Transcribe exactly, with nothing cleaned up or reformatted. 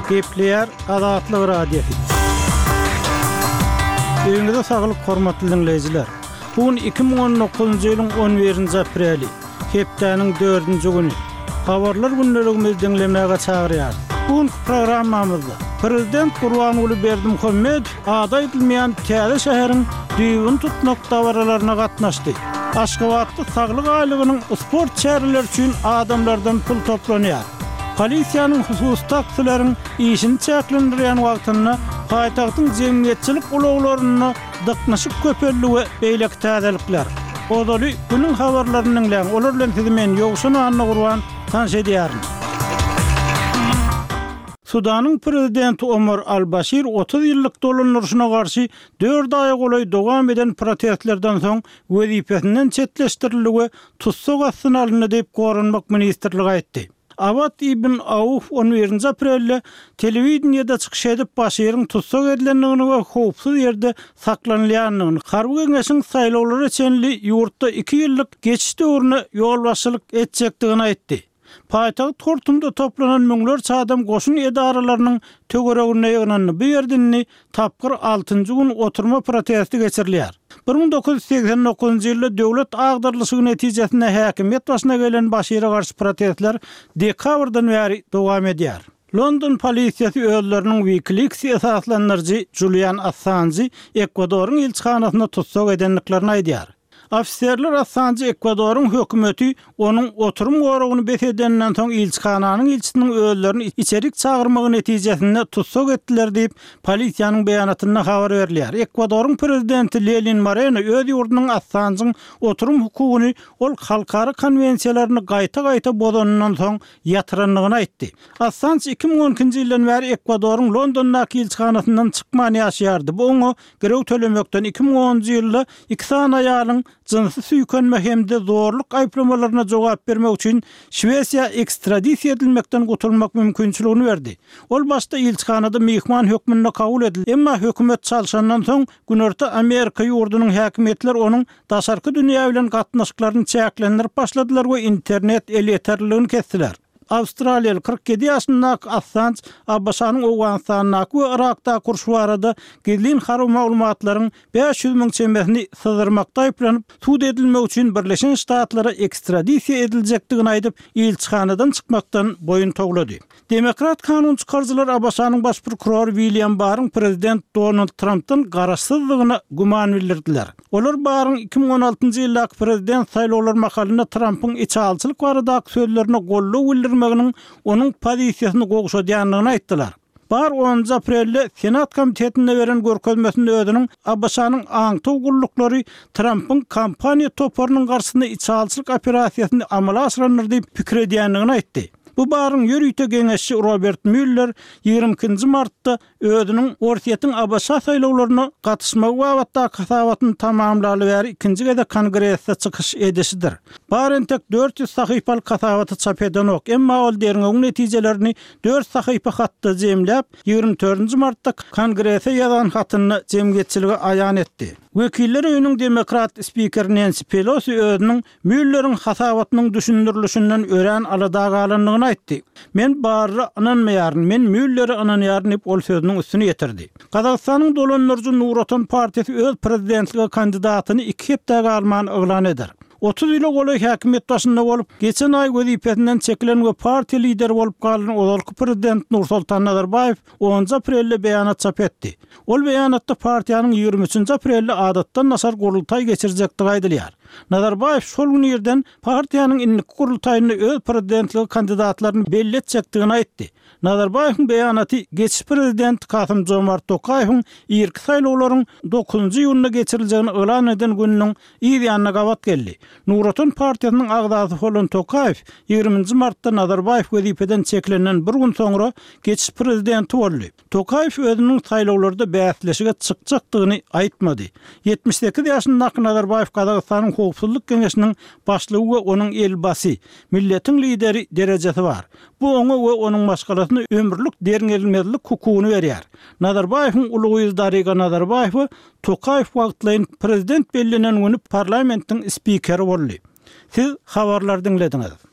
Gepleýär Azatlyk Radiosy. Öýüňize saglyk hormatly dinleýjiler. Bu gün iki müň on dokuzynjy ýylyň on birinji apreli, hepdäniň dördünji güni. Habarlar gündeligimizi diňlemäge çagyrýarys. Bu günkü programmamyzda Prezident Gurbanguly Berdimuhamedow ady aýdylmaýan täze şäheriň düýbüni tutmak dabaralaryna gatnaşdy. Aşgabatda saglyk aýlygynyň sport çäreleri üçin adamlardan pul toplanýar. Polisiýanyň hususy taksileriň işini çäklendirýän wagtynda paýtagtyň jemgyýetçilik ulaglarynda dyknyşyk köpeldi we beýleki täzelikler. Ozaly günüň habarlaryny diňläň. Olar bilen sizi men Ýowşan Annagurban tanyş edýärin. Sudanyň prezidenti Omar al-Başir otuz ýyllyk dolandyryşyna garşy dört aýa golaý dowam eden protestlerden soň wezipesinden çetleşdirildi we tussag astyna alyndy diýip Goranmak ministrligi aýtdy. Awad ibn Auf on birinji aprelde telewideniýede çykyş edip Başiriň tussag edilendigini we howpsuz ýerde saklanylýandygyny, harby geňeşiň saýlawlara çenli ýurtda iki ýyllyk geçiş döwrüne ýolbaşçylyk etjekdigini aýtdy. Paýtagt Hortumda toplanan müňlerçe adam goşun edaralarynyň töwereginde ýygnandy. Bu ýerde indi tapgyr altynjy gün oturma protesti geçirilýär. Bir müň dokuz ýüz segsen dokuzynjy ýylda döwlet agdarylyşygy netijesinde häkimiýet başyna gelen Başire garşy protestler dekabrdan bäri dowam edýär. London polisiýasy özleriniň WikiLeaks esaslandyryjy Julian Assange Ekwadoryň ilçihanasyna tussag edendiklerini aýdýar. Ofiserler Assange Ekwadoryň hökümeti onuň oturum goragyny bes edenden soň ilçihananyň ilçisiniň özlerini içerik çagyrmagy netijesinde tussag etdiler diýip polisiýanyň beýanatynda habar berilýär. Ekwadoryň prezidenti Lenin Moreno öz ýurdunyň Assange'yň oturum hukugyny ol halkara konwensiýalaryny gaýta-gaýta bozanyndan soň ýatyrandygyny aýtdy. Assange iki müň on ikinji ýyldan bäri Ekwadoryň Londondaky ilçihanasyndan çykman ýaşaýardy. Bu oňa girew tölemekden iki müň onunjy ýylda iki sany aýalyň jynsy süýkenme hem-de zorluk aýyplamalaryna jogap bermek üçin Şwesiýa ekstradisiýa edilmekden gutulmak mümkinçiligini berdi. Ol başda ilçihanada myhman hökmünde kabul edildi. Emma hökümet çalşandan soň Günorta Amerika ýurdunyň häkimiýetleri onuň daşarky dünýä bilen gatnaşyklaryny çäklendirip başladylar we internet elýeterliligini kestiler. Awstraliýaly kyrk ýedi ýaşyndaky Assange ABŞ-nyň Owganystandaky we Irakdaky urşy barada gizlin harby maglumatlaryň bäş ýüz müň çemesini syzdyrmakda aýyplanyp, sud edilmek üçin Birleşen Ştatlara ekstradisiýa ediljekdigini aýdyp, ilçihanadan çykmakdan boýun towlady. Demokrat kanun çykaryjylar ABŞ-nyň baş prokurory William Barryň prezident Donald Trumpdan garaşsyzlygyna güman bildirdiler. Olar Barryň iki müň on altynjy ýyldaky prezident saýlawlar mahalynda Trumpyň içalçylyk baradaky sözlerine goldaw bildirmeginiň onuň pozisiýasyny gowşadýandygyny aýtdylar. Barr onunjy aprelde Senat komitetinde beren görkezmesinde özüniň ABŞ-nyň aňtaw gulluklary Trumpyň kampaniýa toparynyň garşysynda içalçylyk operasiýasyny amala aşyrandyr diýip pikir edýändigini aýtdy. Bu Barryň ýörite geňeşçi Robert Müller ýigrimi ikinji martda özüniň Orsýetiň ABŞ saýlawlaryna gatyşmagy babatdaky hasabatyny tamamlaly bäri ikinji gezek Kongresde çykyş edişidir. Barr entek dört ýüz sahypalyk hasabaty çap edenok, emma ol derňewiň netijelerini dört sahypa hatda jemläp, ýigrimi dördünji martda Kongrese ýazan hatynda jemgyýetçilige aýan etdi. Wekiller öýüniň demokrat spiker Nancy Pelosi özüniň Mülleriň hasabatynyň düşündirilişinden örän alada galandygyny aýtdy. Men Barra ynanmaýaryn, men Müllere ynanýaryn diýip ol sözüniň üstüni ýetirdi. Gazagystanyň dolandyryjy Nur Otan partiýasy öz prezidentlige kandidatyny iki hepde galman yglan eder. Otuz ýyla golaý häkimiýet başynda bolup, geçen aý wezipesinden çekilen we partiýa lideri bolup galan ozalky prezident Nursultan Nazarbaýew onunjy aprelde beýanat çap etdi. Ol beýanatda partiýanyň ýigrimi üçünji aprelde adatdan daşary gurultaý geçirjekdigi aýdylýar. Nazarbaýew şol gün irden partiýanyň indiki gurultaýynda öz prezidentlige kandidatlaryny belli etjekdigini aýtdy. Nazarbaýewiň beýanaty geçiş prezident Kasym Jomart Tokaýewiň irki saýlawlaryň dokuzynjy iýunda geçiriljegini yglan eden gününiň yz ýanyna gabat geldi. Nur Otan partiýasynyň agzasy bolan Tokaýew ýigriminji martda Nazarbaýew wezipeden çekilenden bir gün soňra geçiş prezidenti boldy. Tokaýew özüniň saýlawlarda bäsleşige çykjakdygyny aýtmady. Ýetmiş sekiz ýaşyndaky Nazarbaýew Gazagystanyň Howpsuzlyk Geňeşiniň başlygy we onuň elbasy, milletiň lideri derejesi bar. Bu oňa we onuň maşgalasyna ömürlik derňelmezlik hukugyny berýär. Nazarbaýewiň uly gyzy Dariga Nazarbaýewa Tokaýew wagtlaýyn prezident bellenen güni parlamentiň spikeri boldy. Siz habarlary diňlediňiz.